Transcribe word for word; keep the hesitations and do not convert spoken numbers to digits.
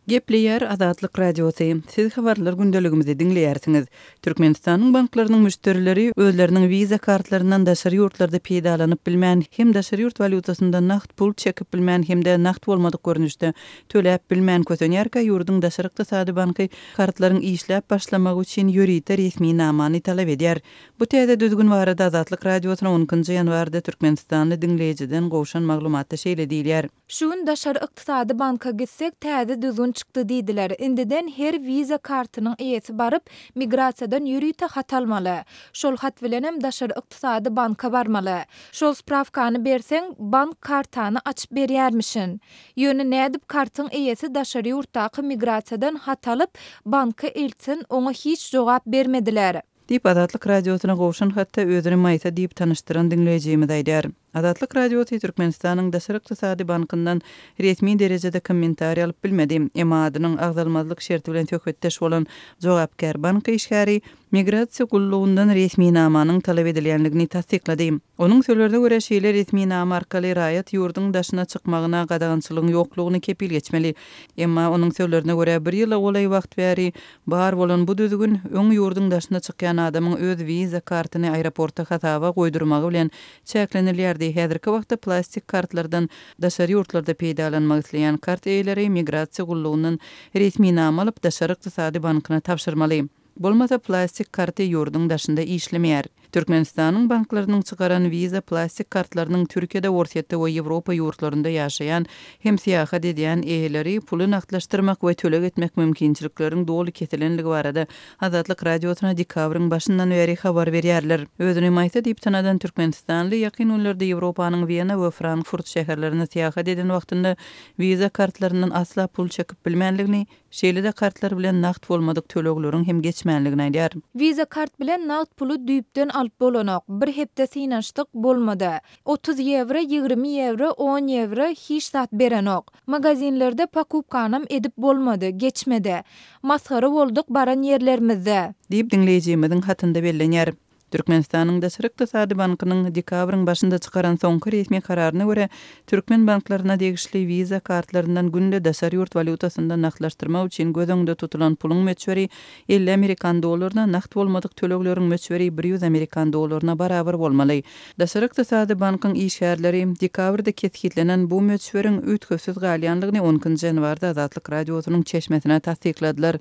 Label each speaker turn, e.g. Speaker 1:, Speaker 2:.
Speaker 1: Gepleýär Azatlyk Radiosy. Siz habarlar gündeligimizi diňleýärsiňiz. Türkmenistanyň banklarynyň müşderileri özleriniň Visa kartlaryndan daşary ýurtlarda peýdalanyp bilmän, hem daşary ýurt walýutasynda nagt pul çekip bilmän hem-de nagt bolmadyk görnüşde töläp bilmän kösenýärkä ýurduň daşary ykdysady banky kartlaryň işläp başlamagy üçin ýörite resminamany talap edýär. Bu täze düzgün barada Azatlyk Radiosyna on ikinji ýanwarda Türkmenistanly diňleýjiden gowşan maglumatda şeýle diýilýär.
Speaker 2: Şu gün daşary ykdysady banka gitsek täze düzgün çykdy diýdiler. Indiden her Visa kartynyň eýesi baryp migrasiýadan ýörite hat almaly. Şol hat bilenem daşary ykdysady banka barmaly. Şol spravkany berseň bank kartany açyp berýärmişin. Ýöne nädip kartyň eýesi daşary ýurtdaky migrasiýadan hat alyp banka eltsin oňa hiç jogap bermediler.
Speaker 1: Diýip Azatlyk Radiosyna gowşan hatda özüni Maýsa diýip tanyşdyran diňleýjimiz aýdar. Azatlyk Radiosy Türkmenistanyň Daşary ykdysady bankyndan resmi derejede kommentariý alyp bilmedi. Emma adynyň agzalmazlyk şerti bilen söhbetdeş bolan jogapkär bank işgäri migrasiýa gullugyndan resminamanyň talap edilýänligini tassyklady. Onuň sözlerine görä şeýle resminama arkaly raýat ýurduň daşyna çykmagyna gadagançylygyň ýoklugyny kepil geçmeli. Emma onuň sözlerine görä bir ýyla golaý wagt bäri bar bolan bu düzgün öň ýurduň daşyna çykýan adamyň öz Visa kartyny aeroportda hasaba goýdurmagy bilen çäklenilýärdi. Häzirki wagtda plastik kartlardan daşary ýurtlarda peýdalanmak isleýän kart eýeleri migrasiýa gullugyndan resminama alyp daşary ykdysady bankyna tabşyrmaly. Bolmasa plastik karty ýurduň daşynda işlemeýär. Türkmenistanyň banklarynyň çykaran Visa plastik kartlarynyň Türkiýede, Orsýetde we Ýewropa ýurtlarynda ýaşaýan hem syýahat edýän eýeleri puly nagtlaşdyrmak we töleg etmek mümkinçilikleriň doly kesilenligi barada Azatlyk Radiosyna dekabryň başyndan bäri habar berýärler. Özüni Maýsa diýip tanadan Türkmenistanly ýakyn günlerde Ýewropanyň Wena we Frankfurt şäherlerine syýahat eden wagtynda Visa kartlaryndan asla pul çekip bilmänligini, şeýle-de kartlar bilen nagt bolmadyk tölegleriň hem geçmänligini aýdar.
Speaker 2: Visa kart bilen nagt puly düýpden alyp bolanok. Bir hepde synanyşdyk bolmady. otuz ýewro, ýigrimi ýewro, on ýewro hiç zat berenok. Magazinlerde pakupkanam edip bolmady, geçmedi. Masgara bolduk baran ýerlerimizde.
Speaker 1: Diýip diňleýjimiziň hatynda bellenýär. Türkmenistanyň Daşary ykdysady bankynyň dekabryň başynda çykaran soňky resmi kararyna görä türkmen banklaryna degişli Visa kartlaryndan günde daşary ýurt walýutasynda nagtlaşdyrmak üçin göz öňünde tutulan puluň möçberi elli amerikan dollaryna, nagt bolmadyk tölegleriň möçberi bir ýüz amerikan dollaryna barabar bolmaly. Daşary ykdysady bankyň işgärleri dekabrda kesgitlenen bu möçberiň üýtgewsiz galýanlygyny on ikinji ýanwarda Azatlyk Radiosynyň çeşmesine tassykladylar.